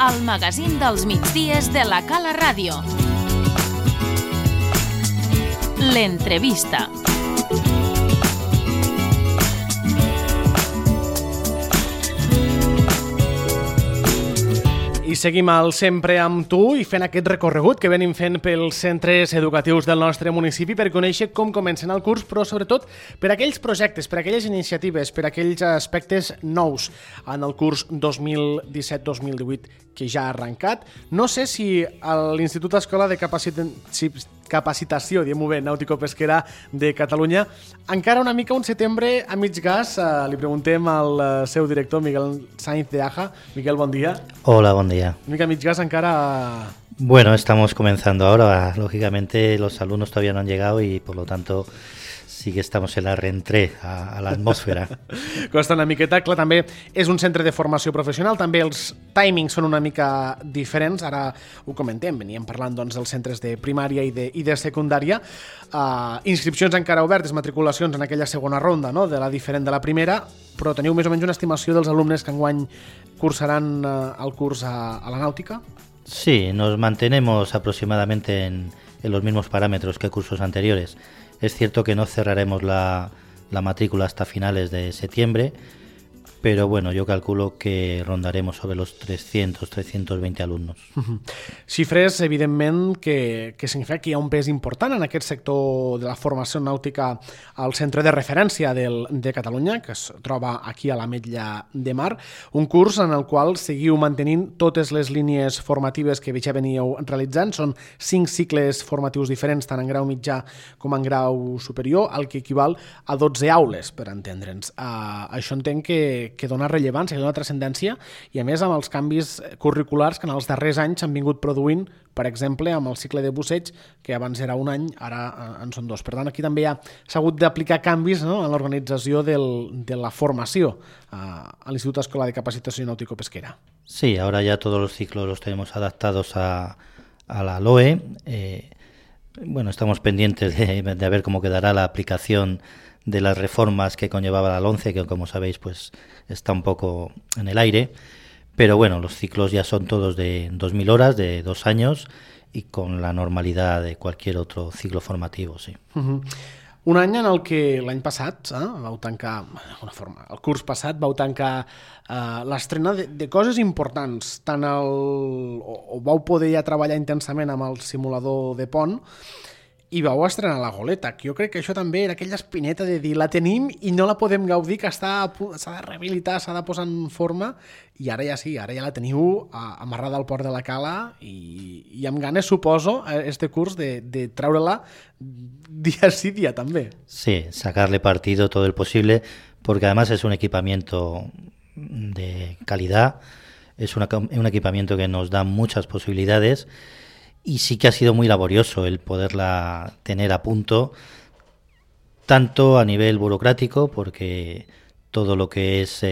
el magazín dels migdies de la Cala Ràdio. L'entrevista. I seguim al Sempre amb tu i fent aquest recorregut que venim fent pels centres educatius del nostre municipi per conèixer com comencen el curs, però sobretot per aquells projectes, per aquelles iniciatives, per aquells aspectes nous en el curs 2017-2018 que ja ha arrencat. No sé si l'Institut Escola de Capacitació, diguem-ho bé, Nàutico-Pesquera de Catalunya, encara una mica un setembre a mig gas. Li preguntem al seu director, Miguel Sainz de Aja. Miguel, bon dia. Hola, buen día. Una mica a mig gas encara... Bueno, estamos comenzando ahora. Lógicamente los alumnos todavía no han llegado y por lo tanto sí que estamos en la reentrée a la atmósfera. Costa una miqueta. Clar, també és un centre de formació professional, també els timings són una mica diferents. Ara ho comentem, veníem parlant doncs, dels centres de primària i de secundària. Inscripcions encara obertes, matriculacions en aquella segona ronda, no? De la diferent de la primera, però teniu més o menys una estimació dels alumnes que enguany cursaran el curs a la nàutica? Sí, nos mantenemos aproximadamente en los mismos parámetros que cursos anteriores. Es cierto que no cerraremos la matrícula hasta finales de septiembre, pero bueno, yo calculo que rondaremos sobre los 300-320 alumnos. Xifres, evidentment, que significa que hi ha un pes important en aquest sector de la formació nàutica al centre de referència de Catalunya, que es troba aquí a l'Ametlla de Mar, un curs en el qual seguiu mantenint totes les línies formatives que ja veníeu realitzant. Són 5 cicles formatius diferents, tant en grau mitjà com en grau superior, el que equival a 12 aules, per entendre'ns. Això entenc que dona rellevància, que dona transcendència, i a més amb els canvis curriculars que en els darrers anys s'han vingut produint, per exemple, amb el cicle de busseig, que abans era un any, ara en són 2. Per tant, aquí també s'ha hagut d'aplicar canvis, no?, en l'organització de la formació a l'Institut Escola de Capacitació Náutico-Pesquera. Sí, ahora ya todos los ciclos los tenemos adaptados a la LOE. Bueno, estamos pendientes de ver cómo quedará la aplicación de las reformas que conllevaba la LONCE, que como sabéis pues está un poco en el aire, pero bueno, los ciclos ya son todos de 2.000 horas, de 2 años, y con la normalidad de cualquier otro ciclo formativo, sí. Un any en el que l'any passat vau tancar, d'alguna forma, el curs passat vau tancar l'estrena de coses importants, tant o vau poder ja treballar intensament amb el simulador de pont, i vau estrenar la goleta, que jo crec que això també era aquella espineta de dir la tenim i no la podem gaudir, que s'ha de rehabilitar, s'ha de posar en forma, i ara ja sí, ara ja la teniu amarrada al port de la Cala i amb ganes, suposo, este curs de treure-la día sí, día també. Sí, sacarle partido todo el posible, porque además es un equipamiento de calidad, es un equipamiento que nos da muchas posibilidades. Y sí que ha sido muy laborioso el poderla tener a punto, tanto a nivel burocrático, porque todo lo que es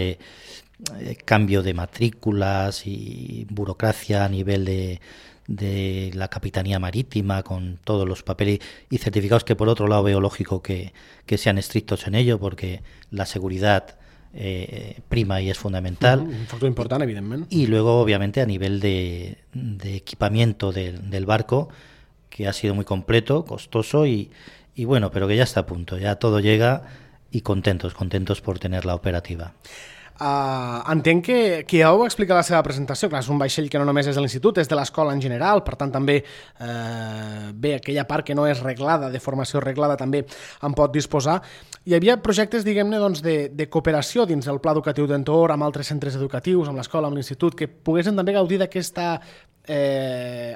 cambio de matrículas y burocracia a nivel de la Capitanía Marítima, con todos los papeles y certificados, que por otro lado veo lógico que sean estrictos en ello, porque la seguridad prima y es fundamental. Un factor important, evidentment. Y luego, obviamente, a nivel de equipamiento del barco, que ha sido muy completo, costoso y bueno, pero que ya está a punto, ya todo llega, y contentos por tenerla operativa. Entenc que ja ho va explicar a la seva presentació. Clar, és un vaixell que no només és de l'institut, és de l'escola en general, per tant també aquella part que no és reglada, de formació reglada, també en pot disposar. Hi havia projectes, diguem-ne, doncs, de cooperació dins del pla educatiu d'entorn amb altres centres educatius, amb l'escola, amb l'institut, que poguessin també gaudir d'aquesta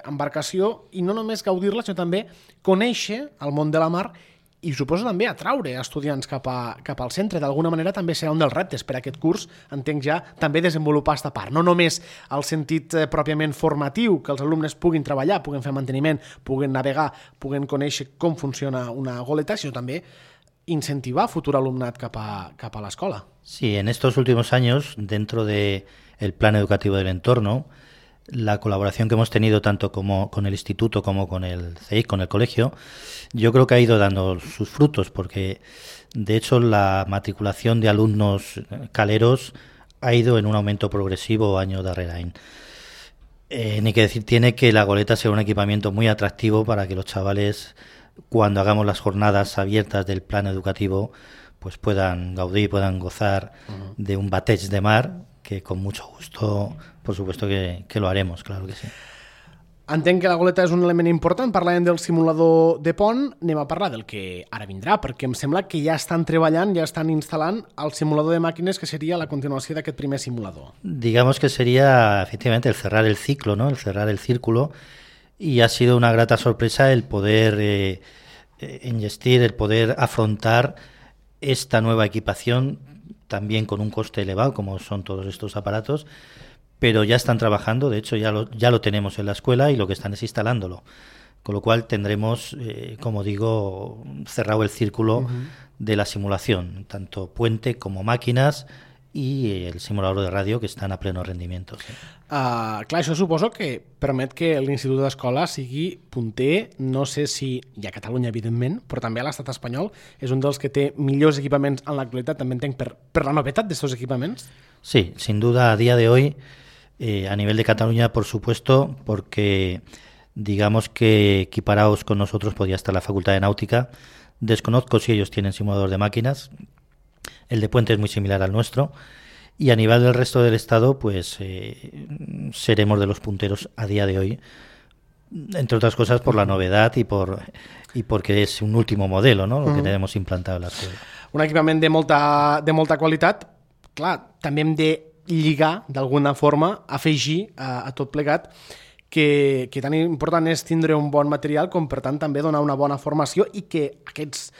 embarcació, i no només gaudir-la, sinó també conèixer el món de la mar i suposo també atraure estudiants cap al centre. D'alguna manera també serà un dels reptes per a aquest curs, entenc ja, també desenvolupar aquesta part. No només el sentit pròpiament formatiu, que els alumnes puguin treballar, puguin fer manteniment, puguin navegar, puguin conèixer com funciona una goleta, sinó també incentivar futur alumnat cap a l'escola. Sí, en estos últimos años, dentro del plan educativo del entorno, la colaboración que hemos tenido tanto como con el instituto como con el CEIC, con el colegio, yo creo que ha ido dando sus frutos, porque de hecho la matriculación de alumnos caleros ha ido en un aumento progresivo año darrere any. Ni que decir tiene que la goleta sea un equipamiento muy atractivo para que los chavales, cuando hagamos las jornadas abiertas del plan educativo, pues puedan gaudir, puedan gozar de un bateig de mar, que con mucho gusto, por supuesto que lo haremos, claro que sí. Entenc que la goleta és un element important. Parlàvem del simulador de pont, anem a parlar del que ara vindrà, perquè em sembla que ja estan treballant, ja estan instal·lant el simulador de màquines, que seria la continuació d'aquest primer simulador. Digamos que sería efectivamente el cerrar el ciclo, ¿no? El cerrar el círculo, y ha sido una grata sorpresa el poder engestir, el poder afrontar esta nueva equipación, también con un coste elevado, como son todos estos aparatos, pero ya están trabajando, de hecho ya lo tenemos en la escuela y lo que están es instalándolo. Con lo cual tendremos, como digo, cerrado el círculo de la simulación, tanto puente como máquinas i el simulador de ràdio, que estan a pleno rendimiento. Sí. Clar, això suposo que permet que l'Institut d'Escola sigui punter, no sé si hi a Catalunya, evidentment, però també a l'estat espanyol. És un dels que té millors equipaments en l'actualitat, també entenc, per la novetat d'estos equipaments. Sí, sin duda, a día de hoy, a nivel de Cataluña, por supuesto, porque digamos que equiparados con nosotros podría estar la Facultad de Náutica. Desconozco si ellos tienen simulador de máquinas. El de Puente es muy similar al nuestro. Y a nivel del resto del Estado, pues seremos de los punteros a día de hoy, entre otras cosas por la novedad y porque es un último modelo, ¿no? Lo que tenemos implantado en la escuela. Un equipament de molta qualitat. Clar, també hem de lligar, d'alguna forma, afegir a tot plegat que tan important és tindre un bon material com, per tant, també donar una bona formació i que aquests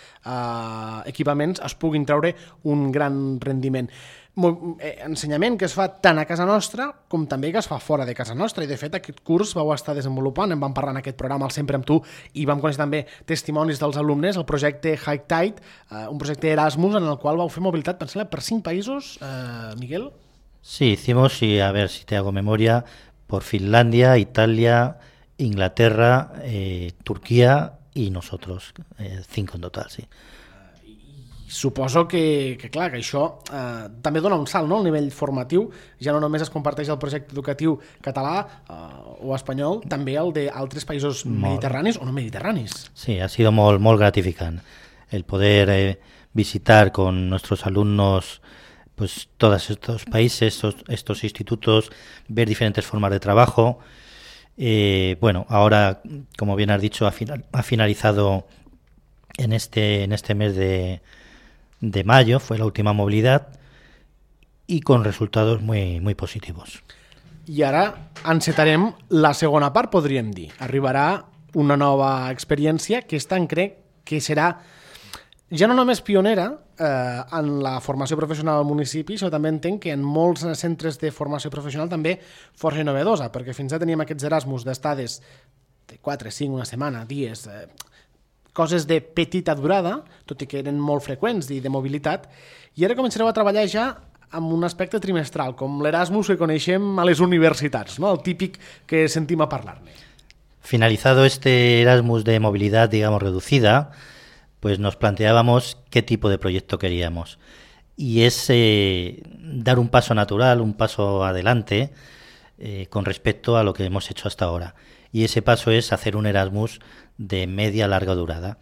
equipaments es puguin treure un gran rendiment. Ensenyament que es fa tant a casa nostra com també que es fa fora de casa nostra, i de fet aquest curs vau estar desenvolupant, en vam parlar en aquest programa al Sempre amb tu, i vam conèixer també testimonis dels alumnes, el projecte High Tide, un projecte Erasmus en el qual vau fer mobilitat, pensem, per 5 països, Miguel? Sí, hicimos, y a ver si te hago memoria, por Finlandia, Italia, Inglaterra, Turquía y nosotros, 5 en total, sí. Suposo que clar, que això també dona un salt, no?, al nivell formatiu. Ja no només es comparteix el projecte educatiu català o espanyol, també el d'altres països mediterranis o no mediterranis. Sí, ha sido molt gratificant el poder visitar con nuestros alumnos pues todos estos países, estos institutos, ver diferentes formas de trabajo. Bueno, ahora, como bien has dicho, ha finalizado en este mes de mayo, fue la última movilidad, y con resultados muy positivos. I ara encetarem la segona part, podríem dir. Arribarà una nova experiència que crec que serà ja no només pionera en la formació professional al municipi, sinó també entenc que en molts centres de formació professional també força innovadosa, perquè fins ara teníem aquests Erasmus d'estades de 4, 5, una setmana, dies, coses de petita durada, tot i que eren molt freqüents i de mobilitat, i ara començareu a treballar ja amb un aspecte trimestral, com l'Erasmus que coneixem a les universitats, ¿no?, el típic que sentim a parlar-ne. Finalizado este Erasmus de movilidad, digamos, reducida, pues nos planteábamos qué tipo de proyecto queríamos. Y es dar un paso natural, un paso adelante con respecto a lo que hemos hecho hasta ahora. Y ese paso es hacer un Erasmus de media a larga durada.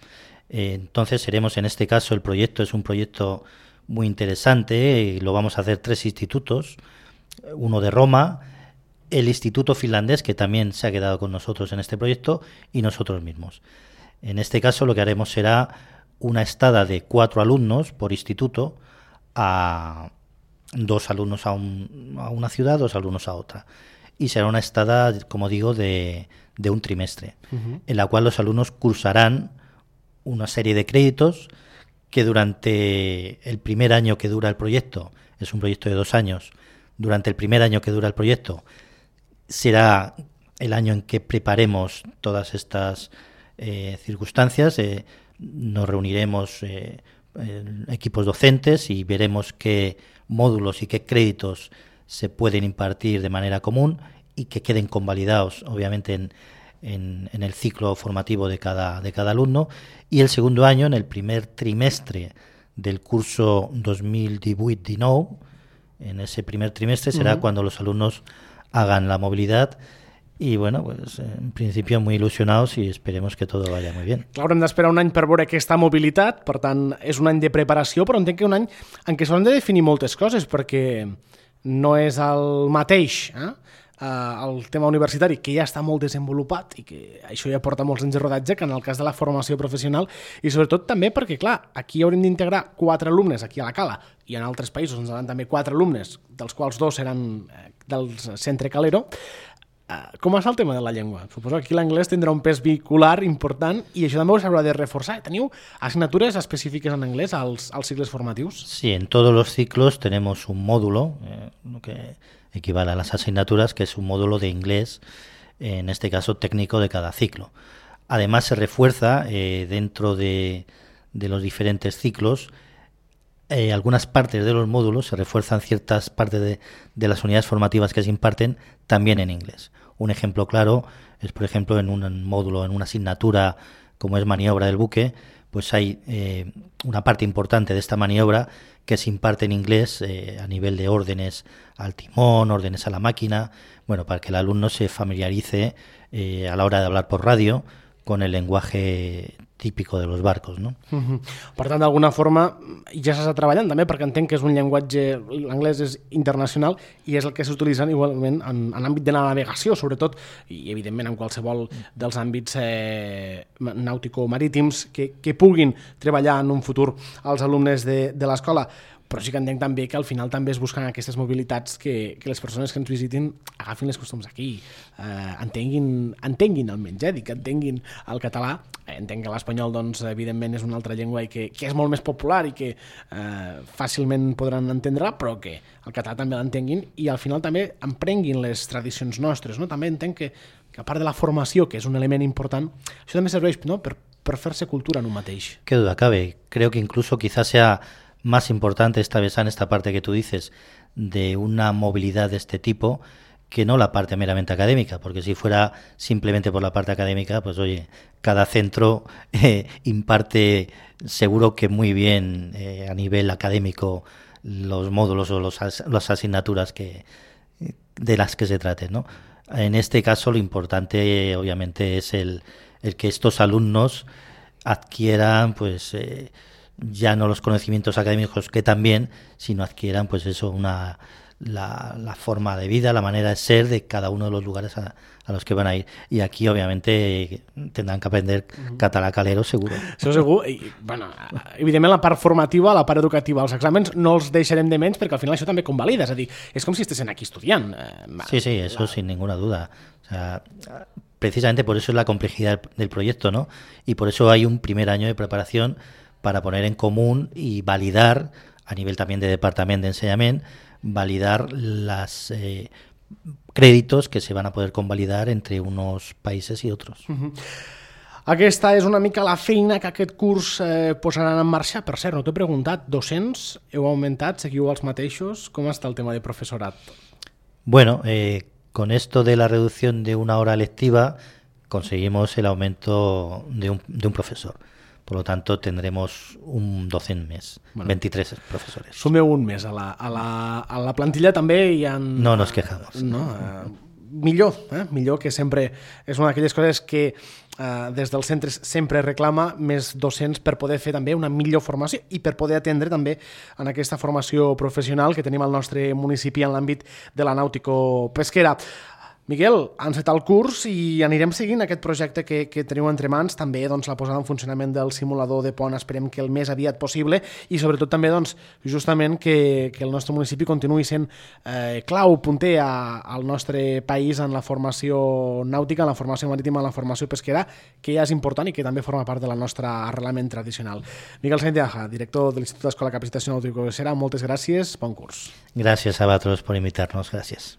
Entonces seremos, en este caso, el proyecto es un proyecto muy interesante, lo vamos a hacer 3 institutos, uno de Roma, el Instituto Finlandés, que también se ha quedado con nosotros en este proyecto, y nosotros mismos. En este caso lo que haremos será una estada de 4 alumnos por instituto, a 2 alumnos a una ciudad, 2 alumnos a otra. Y será una estada, como digo, de un trimestre, en la cual los alumnos cursarán una serie de créditos que durante el primer año que dura el proyecto, es un proyecto de 2 años, durante el primer año que dura el proyecto será el año en que preparemos todas estas circunstancias, nos reuniremos equipos docentes y veremos qué módulos y qué créditos se pueden impartir de manera común y que queden convalidados, obviamente, en el ciclo formativo de cada alumno. Y el segundo año, en el primer trimestre del curso 2018-19, en ese primer trimestre será cuando los alumnos hagan la movilidad y bueno, pues en principio muy ilusionados y esperemos que todo vaya muy bien. Clar, haurem d'esperar un any per veure aquesta mobilitat, per tant, és un any de preparació, però entenc que un any en què s'han de definir moltes coses, perquè no és el mateix, el tema universitari, que ja està molt desenvolupat i que això ja porta molts anys de rodatge, que en el cas de la formació professional, i sobretot també perquè, clar, aquí haurem d'integrar 4 alumnes aquí a la Cala, i en altres països ens seran també 4 alumnes, dels quals 2 seran del centre Calero. Com està el tema de la llengua? Suposo que aquí l'anglès tindrà un pes vehicular important i això també ho s'haurà de reforçar. ¿Teniu asignaturas específicas en inglés als ciclos formativos? Sí, en todos los ciclos tenemos un módulo, lo que equivale a las asignaturas, que es un módulo de inglés, en este caso técnico de cada ciclo. Además se refuerza dentro de los diferentes ciclos algunas partes de los módulos, se refuerzan ciertas partes de las unidades formativas que se imparten también en inglés. Un ejemplo claro es, por ejemplo, en un módulo, en una asignatura como es maniobra del buque, pues hay una parte importante de esta maniobra que se imparte en inglés a nivel de órdenes al timón, órdenes a la máquina, bueno, para que el alumno se familiarice a la hora de hablar por radio con el lenguaje típico de los barcos, no? Per tant, d'alguna forma ja s'està treballant també, perquè entenc que és un llenguatge, l'anglès és internacional i és el que s'utilitza igualment en l'àmbit de la navegació, sobretot, i evidentment en qualsevol dels àmbits nàutico-marítims que puguin treballar en un futur els alumnes de l'escola. Però sí que entenc també que al final també es busquen aquestes mobilitats que les persones que ens visitin agafin les costums aquí, entenguin almenys, que entenguin el català. Entenc que l'espanyol, doncs, evidentment, és una altra llengua i que és molt més popular i que fàcilment podran entendre-la, però que el català també l'entenguin i al final també emprenguin les tradicions nostres, no? També entenc que a part de la formació, que és un element important, això també serveix, no?, per fer-se cultura en un mateix. Qué duda cabe. Creo que incluso quizás sea más importante esta parte que tú dices de una movilidad de este tipo que no la parte meramente académica, porque si fuera simplemente por la parte académica, pues oye, cada centro imparte seguro que muy bien a nivel académico los módulos o las asignaturas de las que se traten, ¿no? En este caso lo importante obviamente es el que estos alumnos adquieran pues ya no los conocimientos académicos que también, sino adquieran pues eso, la forma de vida, la manera de ser de cada uno de los lugares a los que van a ir. Y aquí obviamente tendrán que aprender català calero, seguro. Això segur. I, bueno, evidentment la part formativa, la part educativa, els exàmens no els deixarem de menys perquè al final això també convalida, és a dir, és com si estessin aquí estudiant. Sí, eso sin ninguna duda. O sea, precisamente por eso es la complejidad del proyecto, ¿no? Y por eso hay un primer año de preparación para poner en común y validar, a nivel también de departament d'ensenyament, validar los créditos que se van a poder convalidar entre unos países y otros. Aquesta és una mica la feina que aquest curs posaran en marxa. Per cert, no t'he preguntat, docents, heu augmentat, seguiu els mateixos? Com està el tema de profesorat? Bueno, con esto de la reducción de una hora lectiva conseguimos el aumento de un profesor. Por lo tanto, tendremos un docent més, bueno, 23 profesores. Sumeu un més a la plantilla també hi ha... No nos quejamos. No, millor, que sempre és una d'aquelles coses que des dels centres sempre reclama més docents per poder fer també una millor formació i per poder atendre també en aquesta formació professional que tenim al nostre municipi en l'àmbit de la nàutico-pesquera. Miquel, ha encetat el curs i anirem seguint aquest projecte que teniu entre mans, també doncs, la posada en funcionament del simulador de pont, esperem que el més aviat possible i sobretot també doncs, justament que el nostre municipi continuï sent clau, punter al nostre país en la formació nàutica, en la formació marítima, en la formació pesquera, que ja és important i que també forma part de la nostra arrelament tradicional. Miquel Sáenz de Aja, director de l'Institut d'Escola de Capacitació Nàutico-Pesquera, moltes gràcies, bon curs. Gràcies a vosaltres per invitar-nos, gràcies.